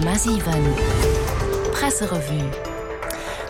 100,7 Presserevue.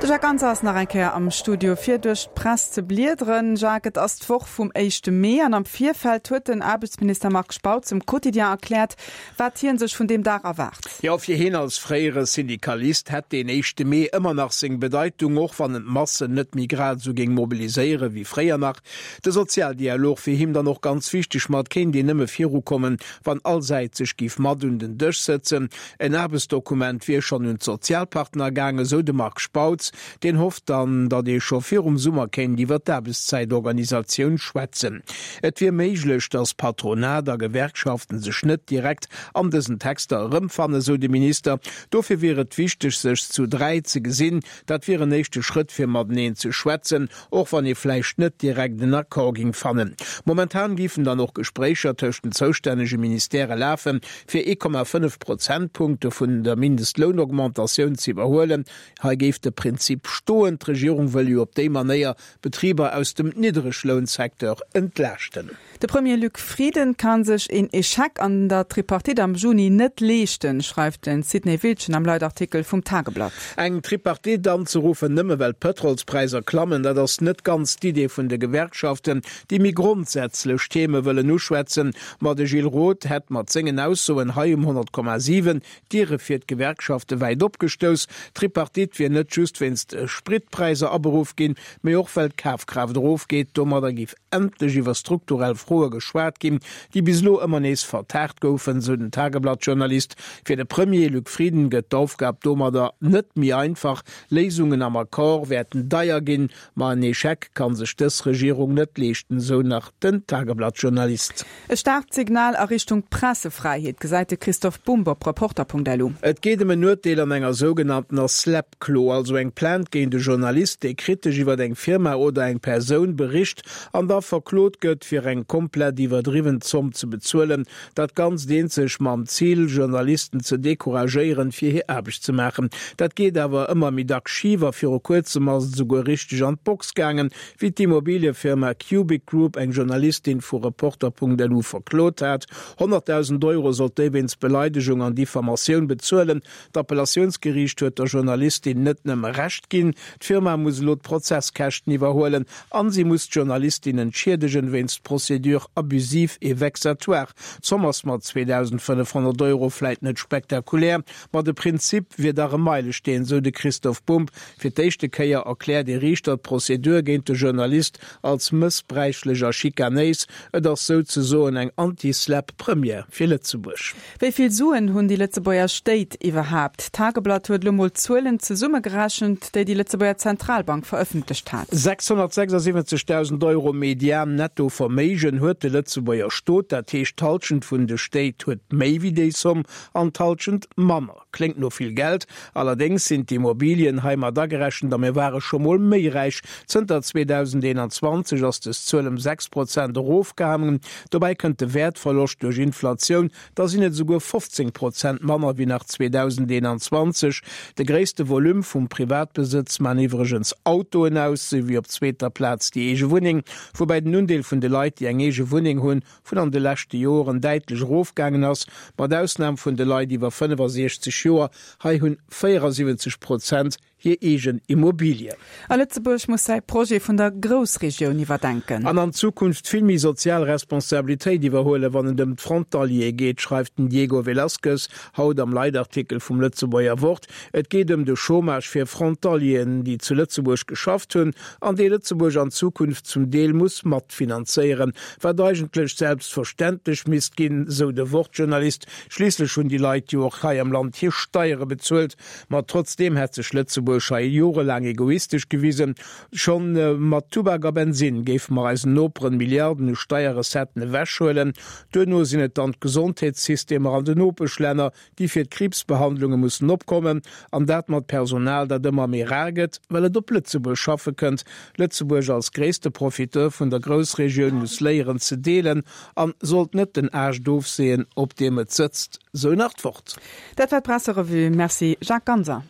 De Jacques Ganser ass nach eng Kéier am Studio fir duerch d'Press ze bliederen. Jacques, et ass d'Woch vum éischte Mee an am Virfeld huet den Aarbechtsminister Marc Spautz um Quotidien erkläert, wat hien sech vun deem Dag erwaart. Jo, fir hien als fréiere Syndikalist hätt deen éischte Mee ëmmer nach seng Bedeitung, och wann en d'Massen net méi grad esou géing mobiliséiere wéi fréier nach. De Sozialdialog wier him dann och ganz wichteg, ma et kéint een nëmme virukommen, wann all Säit sech géif mat un den Dësch sëtzen. En Aarbechtsdokument wier schonn un d'Sozialpartner gaangen, esou de Marc Spautz. Deen hofft dann, datt ee scho virum Summer kéint iwwer d'Aarbechtszäitorganisatioun schwätzen. Et wier méiglech, datt Patronat a Gewerkschaften sech net direkt an dësen Texter erëmfannen, esou de Minister. Dofir wier et wichteg, sech zu 3 ze gesinn. Dat wier en éischte Schrëtt, fir mateneen ze schwätzen. Och wann ee vläicht net direkt en Accord ging fannen. Momentan géifen dann och Gespréicher tëscht den zoustännege Ministèrë lafen, fir 1,5 Prozentpunkte vun der Mindestlounaugmentatioun ze iwwerhuelen. Hei géif de Prinzip stoen, d'Regierung wëll jo op déi Manéier Betriber aus dem Niddreglounsecteur entlaaschten. De Premier Luc Frieden ka sech een Echec an der Tripartite am Juni net leeschten, schreift de Sidney Wiltgen am Leitartikel vum Tageblatt. Eng Tripartite anzeruffen, nëmme well d'Pëtrolspräisser klammen, dat ass net ganz d'Idee vun de Gewerkschaften, déi méi grondsätzlech Theme wëllen uschwätzen. Ma de Gilles Roth hätt mat sengen Aussoen hei um 100,7 d'Diere fir d'Gewerkschafte wäit opgestouss. D'Tripartite wier net just wéinst de Spritpräisser aberuff ginn, mee och well d'Kafkraaft erofgeet. Domadder géif endlech iwwer strukturell Froe geschwat ginn, déi bis elo ëmmer nees vertaagt goufen, sou den Tageblatt-Journalist. Fir de Premier Luc Frieden gëtt d'Aufgab domadder net méi einfach. Léisungen am Accord wäerten deier ginn, ma en Echec ka sech dës Regierung net leeschten, sou nach den Tageblatt-Journalist. E staarkt Signal a Richtung Pressefräiheet, gesäit de Christoph Bumb op Reporter.lu. Et geet ëm en Urteel an enger sougenanntener SLAPP-Klo, also eng Plainte géint e Journalist, dee kritesch iwwer eng Firma oder eng Persoun bericht an da verklot gëtt, fir eng komplett iwwerdriwwen Zomm ze bezuelen. Dat Ganzt eenzeg mam Zil, Journalisten ze decouragéieren, fir hir Aarbecht ze maachen. Dat geet awer ëmmer méi dacks schif a viru kuerzem ass et esouguer richteg an d'Box gaangen, Wéi d'Immobiliefirma Cubic Group eng Journalistin vu Reporter.lu verklot hat. 100.000 Euro sollt déi wéinst Beleidegung an Diffamatioun bezuelen. D'Appellatiounsgeriicht huet der Journalistin net nëmme Recht ginn, d'Firma muss elo d'Prozesskäschten iwwerhuelen an si muss d'Journalistin entschiedegen wéinst Procédure abusive et vexatoire. D'Zomm ass mat 2.500 Euro vläit net spektakulär, ma de Prinzip wier dach e Meilesteen, sou de Christoph Bumb. Fir d'éischte Kéier erkläert ee Riichter d'Prozedur géint de Journalist als mëssbräichlech a schikanéis. Et ass souzesoen eng Anti-SLAPP-Première fir Lëtzebuerg. Wéi vill Suen hunn déi Lëtzebuerger Stéit iwwerhaapt? D'Tageblatt huet elo mol d'Zuelen zesummegerechent, déi déi Lëtzebuerger Zentralbank verëffentlecht hat. 676.000 Euro Median Netto-Verméigen huet de Lëtzebuerger Stot, dat heescht d'Hallschent vun de Stéit huet méi wéi déi Somm an d'Hallschent manner. Kléngt no vill Geld, allerdéngs sinn d'Immobilien hei mat agerechent a mir ware scho mol méi räich. Zënter 2021 ass des Zuel ëm 6 Prozent erofgaangen. Dobäi kënnt de Wäertverloscht duerch Inflatioun, da sinn et esouguer 15 Prozent manner wéi nach 2021. De gréisste Volume vum Privatbesëtz man iwwregens Autoen aus, souwéi op zweeter Plaz déi eege Wunneng, woubäi den Undeel vun de Leit, déi eng eege Wunneng hunn, vun an de leschte Joren däitlech erofgaangen ass, mat Ausnam vun de Leit iwwer 65 Joer, hei hunn 74 Prozent hir eegen Immobilie. A Lëtzebuerg muss säi Projet vun der Groussregioun iwwerdenken. An an Zukunft vill méi sozial Responsabilitéit iwwerhuelen, wann et ëm d'Frontaliere geet, schreift den Diego Velazquez haut am Leitartikel vum Lëtzebuerger Wort. Et geet ëm de Chômage fir Frontalieren, déi zu Lëtzebuerg geschafft hunn an dee Lëtzebuerg an Zukunft zum Deel muss matfinanzéieren. Wat eigentlech selbstverständlech misst ginn, sou de Wort-Journalist. Schliisslech hunn déi Leit jo och hei am Land hir Steiere bezuelt. Ma trotzdeem hätt sech Lëtzebuerg hei jorelaang egoistesch gewisen. Schonn mat Tubak a Bensinn géife mer eisen Noperen Milliarden u Steierrecetten ewechhuelen. Duerno sinn et dann d'Gesondheetssystemer an de Nopeschlänner, déi fir d'Kriibsbehandlunge mussen opkommen, an dat mat Personal, dat ëmmer méi rar gëtt, well et op Lëtzebuerg schaffe kënnt. Lëtzebuerg als gréisste Profiteur vun der Groussregioun muss léieren ze deelen an sollt net den Aascht ofseeën, op deem et sëtzt, sou nach d'Wort. Dat war d'Presserevue. Merci Jacques Ganser.